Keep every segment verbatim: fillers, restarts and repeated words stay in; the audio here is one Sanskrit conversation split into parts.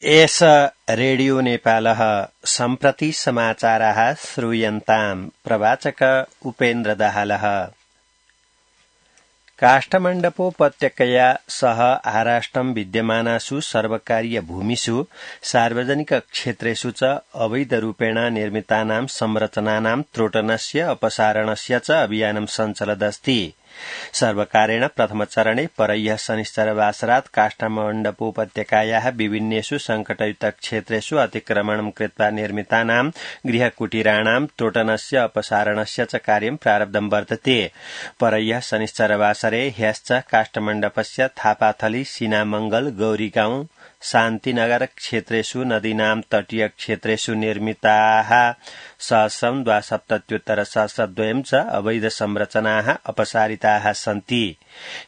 एष रेडियो नेपालः सम्प्रति समाचाराः श्रूयन्ताम्। प्रवाचक उपेन्द्र दाहालः। काष्ठमण्डपोपत्यकया सह आराष्ट्रं विद्यमानासु सर्वकारीय भूमिषु सार्वजनिक क्षेत्रेषु च अवैधरूपेण निर्मितानां संरचनानां त्रोटनस्य अपसारणस्य च अभियानं सञ्चलदस्ति। सर्वकारेण प्रथमचरणे परह्यः शनिश्चरवासरात् काष्ठमण्डपोपत्यकायाः विभिन्नेषु संकटयुक्त क्षेत्रेषु अतिक्रमणं कृत्वा निर्मितानां गृहकुटीराणां त्रोटनस्य अपसारणस्य च कार्यं प्रारब्धं वर्तते। परह्यः शनिश्चरवासरे ह्यश्च काष्ठमण्डपस्य थापाथली, सीनामंगल, गौरीगाउँ, शान्तिनगर क्षेत्रेषु नदीनां तटीय क्षेत्रेषु निर्मिताः सहस्रं द्वासप्तत्युत्तर सहस्रद्वयं च अवैध संरचनाः अपसारिताः सन्ति।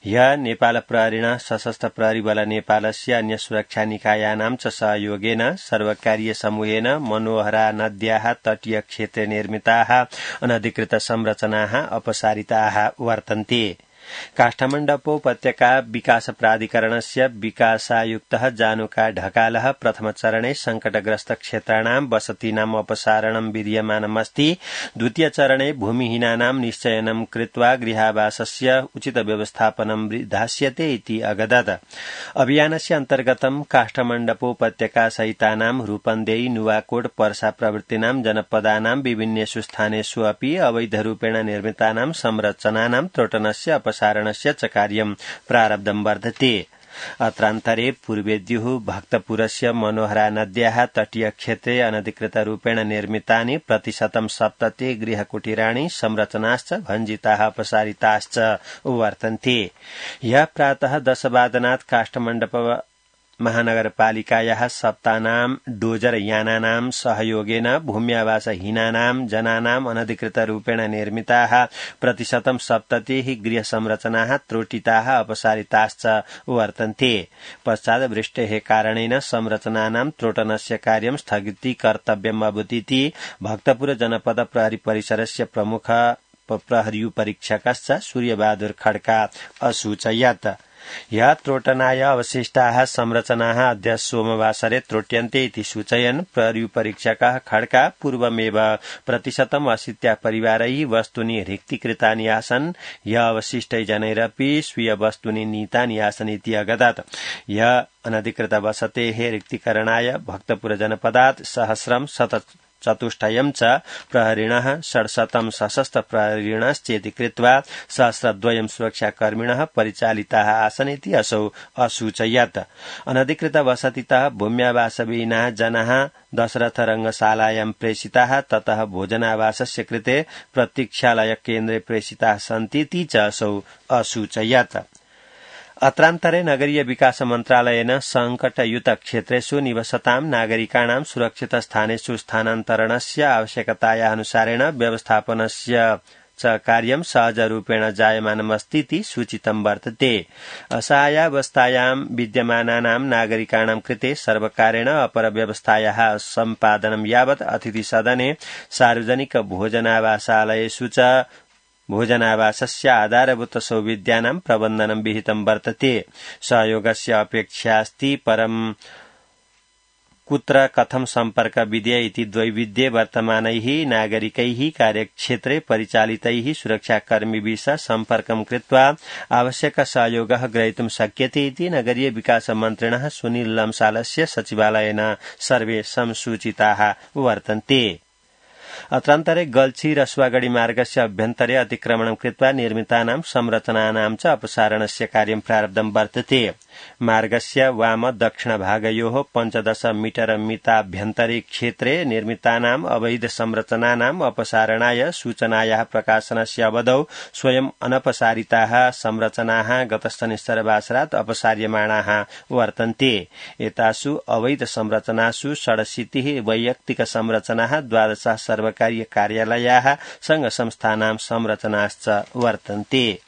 ह्यः नेपाल प्रहरिणः, सशस्त्र प्रहरी बल नेपालस्य अन्य सुरक्षा निकायानां च सहयोगेन सर्वकारीय समूहेन मनोहरा नद्याः तटीय क्षेत्रे निर्मिताः अनधिकृत संरचनाः अपसारिताः वर्तन्ते। काष्ठमण्डपोपत्यका विकास प्राधिकरणस्य विकासायुक्तः जानुका ढकालः प्रथमचरणे संकटग्रस्त क्षेत्राणां वसतीनाम् अपसारणं विधीयमानमस्ति। द्वितीयचरणे भूमिहीनानां निश्चयनं कृत्वा गृहावासस्य उचित व्यवस्थापनं विधास्यते इति अगदत्। अभियानस्य अन्तर्गतं काष्ठमण्डपोपत्यका सहितानां रूपन्देही, नुवाकोट, पर्सा प्रभृतीनां जनपदानां विभिन्नेषु स्थानेषु अपि अवैधरूपेण निर्मितानां संरचनानां त्रोटनस्य अपसारणस्य च कार्यं प्रारब्धं वर्तते। अत्रान्तरे पूर्वेद्युः भक्तपुरस्य मनोहरा नद्याः तटीय क्षेत्रे अनधिकृतरूपेण निर्मितानि प्रतिशतं सप्तति गृहकुटीराणि संरचनाश्च भञ्जिताः अपसारिताश्च वर्तन्ते। ह्यः प्रातः दशवादनात् काष्ठमण्डप महानगरपालिकायाः सप्तानां डोजर यानानां सहयोगेन भूम्यावासहीनानां जनानां अनधिकृतरूपेण निर्मिताः प्रतिशतं सप्ततिः गृहसंरचनाः त्रोटिताः अपसारिताश्च वर्तन्ते। पश्चात् वृष्टेः कारणेन संरचनानां त्रोटनस्य कार्यं स्थगितीकर्तव्यम् अभूतिति भक्तपुर जनपद प्रहरी परिसरस्य प्रमुख प्रहरीपरीक्षकश्च सूर्यबहादुर खड्का असूचयत्। ह्यः त्रोटनाय अवशिष्टाः संरचनाः अद्य सोमवासरे त्रोट्यन्ते इति सूचयन् प्रहरीपरीक्षकः खड्का पूर्वमेव प्रतिशतम् अशीत्या परिवारैः वस्तूनि रिक्तीकृतानि आसन्। ह्यः अवशिष्टै जनैरपि स्वीय वस्तूनि नीतानि आसन् इति अगदत्। ह्यः अनधिकृत वसतेः रिक्तीकरणाय भक्तपुर जनपदात् सहस्रं शत चतुष्टयं च प्रहरिणः, षड्शतं सशस्त्र प्रहरिणश्चेति कृत्वा सहस्रद्वयं सुरक्षाकर्मिणः परिचालिताः आसन् इति असौ असूचयत्। अनधिकृत वसतितः भूम्यावासविहीनाः जनाः दशरथ रङ्गशालायां प्रेषिताः, ततः भोजनावासस्य कृते प्रतीक्षालय केन्द्रे प्रेषिताः सन्ति इति च असौ असूचयत्। अत्रान्तरे नगरीय विकास मन्त्रालयेन संकटयुत क्षेत्रेषु निवसतां नागरिकाणां सुरक्षित स्थानेषु स्थानान्तरणस्य आवश्यकताया अनुसारेण व्यवस्थापनस्य च कार्यं सहजरूपेण जायमानमस्तीति सूचितं वर्तते। असहायावस्थायां विद्यमानानां नागरिकाणां कृते सर्वकारेण अपरव्यवस्थायाः सम्पादनं यावत् अतिथिसदने, सार्वजनिक भोजनावासालयेषु च भोजनावासस्य आधारभूत सौविध्यानां प्रबन्धनं विहितं वर्तते। सहयोगस्य अपेक्षास्ति, परं कुत्र कथं सम्पर्क विधेय इति द्वैविध्ये वर्तमानैः नागरिकैः कार्यक्षेत्रे परिचालितैः सुरक्षाकर्मिभिः सह सम्पर्कं कृत्वा आवश्यक सहयोगः ग्रहीतुं शक्यते इति नगरीय विकास मन्त्रिणः सुनील लम्सालस्य सचिवालयेन सर्वे संसूचिताः वर्तन्ते। अत्रान्तरे गल्छी रसुवागढी मार्गस्य अभ्यन्तरे अतिक्रमणं कृत्वा निर्मितानां संरचनानां च अपसारणस्य कार्यं प्रारब्धं वर्तते। मार्गस्य वाम दक्षिण भागयोः पञ्चदश मीटर मिताभ्यन्तरे क्षेत्रे निर्मितानाम् अवैध संरचनानाम् अपसारणाय सूचनायाः प्रकाशनस्य अवधौ स्वयं अनपसारिताः संरचनाः गत शनिश्चरवासरात् अपसार्यमाणाः वर्तन्ते। एतासु अवैध संरचनासु षडशीतिः वैयक्तिक संरचनाः, द्वादश सर्वकारीय कार्यालयाः, संघ संस्थानां संरचनाश्च वर्तन्ते।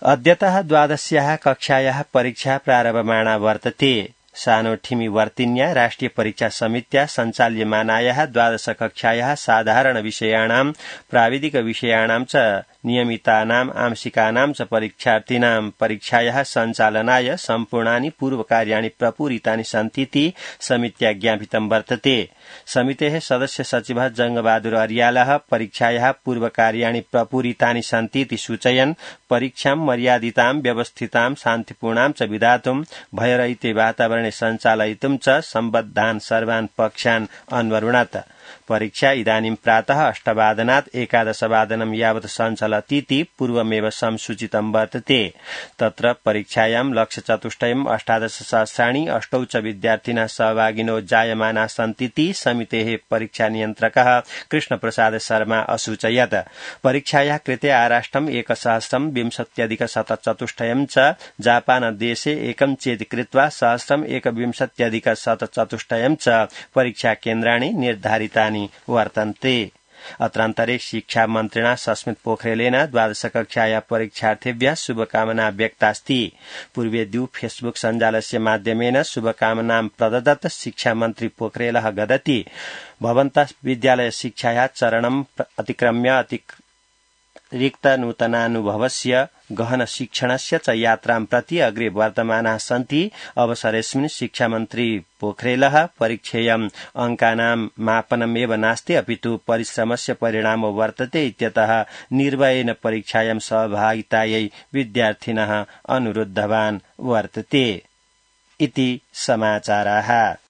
अद्यतः द्वादश्याः कक्षायाः परीक्षा प्रारभमाणा वर्तते। सानोठिमी वर्तिन्या राष्ट्रिय परीक्षा समित्या सञ्चाल्यमानायाः द्वादश कक्षायाः साधारण विषयाणां, प्राविधिक विषयाणां च नियमितानाम् आंशिकानां च परीक्षार्थिनां परीक्षायाः सञ्चालनाय सम्पूर्णानि पूर्वकार्याणि प्रपूरितानि सन्तीति समित्या ज्ञापितं वर्तते। समितेः सदस्य सचिवः जंगबहादुर अर्यालः परीक्षायाः पूर्वकार्याणि प्रपूरितानि सन्तीति सूचयन् परीक्षां मर्यादितां व्यवस्थितां शान्तिपूर्णां च विधातुं भयरहिते वातावरणे सञ्चालयितुं च सम्बद्धान् सर्वान् पक्षान् अन्वरुणत। परीक्षा इदानीं प्रातः अष्टवादनात् एकादशवादनं यावत् सञ्चलतीति पूर्वमेव संसूचितं वर्तते। तत्र परीक्षायां लक्ष्यचतुष्टयम् अष्टादशसहस्राणि अष्टौ च विद्यार्थिनः सहभागिनो जायमानाः सन्तीति समितेः परीक्षानियन्त्रकः कृष्णप्रसाद शर्मा असूचयत्। परीक्षायाः कृते आराष्ट्रम् एकसहस्रं विंशत्यधिकशतचतुष्टयं च जापानदेशे एकं चेति कृत्वा सहस्रम् एकविंशत्यधिकशतचतुष्टयं च परीक्षाकेन्द्राणि निर्धारितानि वर्तन्ते। अत्रान्तरे शिक्षा मन्त्रिणा सस्मित पोखरेलेन द्वादश कक्षाया परीक्षार्थिभ्यः शुभकामना व्यक्तास्ति। पूर्वेद्यु फेसबुक सञ्जालस्य माध्यमेन शुभकामनां प्रददत् शिक्षा मन्त्री पोखरेलः गदति भवन्तः विद्यालय शिक्षायाः चरणम् अतिक्रम्य अतिक् रिक्त नूतनानुभवस्य गहन शिक्षणस्य च यात्रां प्रति अग्रे वर्तमानाः सन्ति। अवसरेऽस्मिन् शिक्षामन्त्री पोखरेलः परीक्षेयम् अंकानां मापनमेव नास्ति अपितु परिश्रमस्य परिणामो वर्तते इत्यतः निर्भयेन परीक्षायां सहभागितायै विद्यार्थिनः अनुरुद्धवान् वर्तते इति समाचाराः।